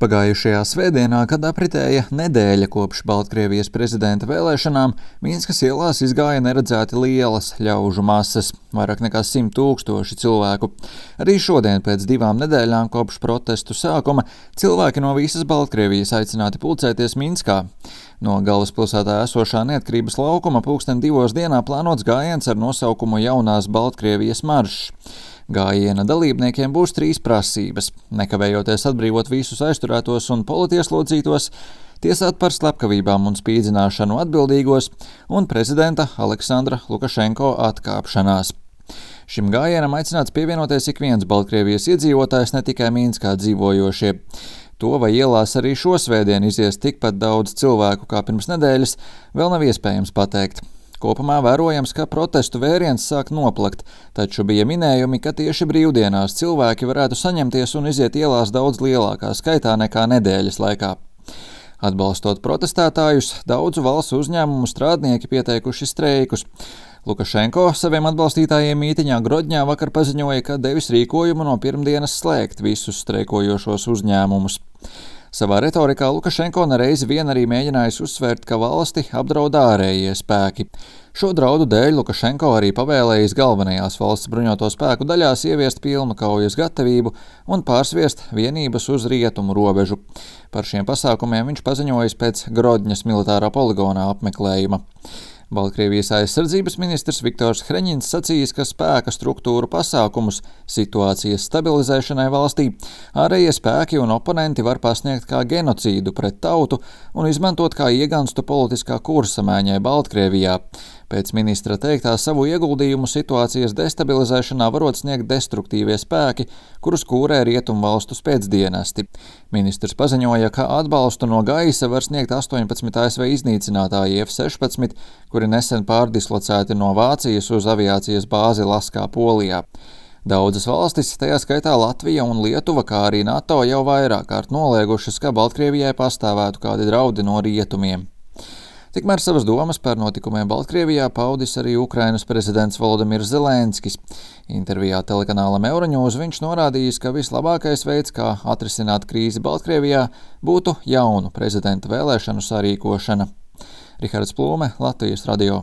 Pagājušajā svētdienā, kad apritēja nedēļa kopš Baltkrievijas prezidenta vēlēšanām, Minskas ielās izgāja neredzēti lielas ļaužu masas, vairāk nekā 100 000 cilvēku. Arī šodien, pēc 2 nedēļām kopš protestu sākuma, cilvēki no visas Baltkrievijas aicināti pulcēties Minskā. No galvaspilsētā esošā Neatkarības laukuma pulksten 2 dienā plānots gājiens ar nosaukumu Jaunās Baltkrievijas maršs. Gājiena dalībniekiem būs 3 prasības – nekavējoties atbrīvot visus aizturētos un politieslodzītos, tiesāt par slepkavībām un spīdzināšanu atbildīgos un prezidenta Aleksandra Lukašenko atkāpšanās. Šim gājienam aicināts pievienoties ik viens Baltkrievijas iedzīvotājs, ne tikai Minskā dzīvojošie. To, vai ielās arī šo svētdienu izies tikpat daudz cilvēku kā pirms nedēļas, vēl nav iespējams pateikt. Kopumā vērojams, ka protestu vēriens sāk noplakt, taču bija minējumi, ka tieši brīvdienās cilvēki varētu saņemties un iziet ielās daudz lielākā skaitā nekā nedēļas laikā. Atbalstot protestētājus, daudzu valsts uzņēmumu strādnieki pieteikuši streikus. Lukašenko saviem atbalstītājiem mītiņā Grodņā vakar paziņoja, ka devis rīkojumu no pirmdienas slēgt visus streikojošos uzņēmumus. Savā retorikā Lukašenko nereizi vien arī mēģinājis uzsvērt, ka valsti apdraud ārējie spēki. Šo draudu dēļ Lukašenko arī pavēlējis galvenajās valsts bruņoto spēku daļās ieviest pilnu kaujas gatavību un pārsviest vienības uz rietumu robežu. Par šiem pasākumiem viņš paziņojis pēc Grodņas militārā poligonā apmeklējuma. Baltkrievijas aizsardzības ministrs Viktors Hreņins sacījis, ka spēka struktūru pasākumus situācijas stabilizēšanai valstī ārējie spēki un oponenti var pasniegt kā genocīdu pret tautu un izmantot kā ieganstu politiskā kursa maiņai Baltkrievijā. Pēc ministra teiktā savu ieguldījumu situācijas destabilizēšanā varot sniegt destruktīvie spēki, kurus kūrē rietumvalstu spēcdienesti. Ministrs paziņoja, ka atbalstu no gaisa var sniegt 18 ASV iznīcinātāji F-16, kuri nesen pārdislocēti no Vācijas uz aviācijas bāzi Laskā, Polijā. Daudzas valstis, tajā skaitā Latvija un Lietuva, kā arī NATO, jau vairāk kārt noliegušas, ka Baltkrievijai pastāvētu kādi draudi no rietumiem. Tikmēr savas domas par notikumiem Baltkrievijā paudis arī Ukrainas prezidents Volodimirs Zelenskis. Intervijā telekanālam Euronews viņš norādījis, ka vislabākais veids, kā atrisināt krīzi Baltkrievijā, būtu jaunu prezidenta vēlēšanu sarīkošana. Rihards Plūme, Latvijas radio.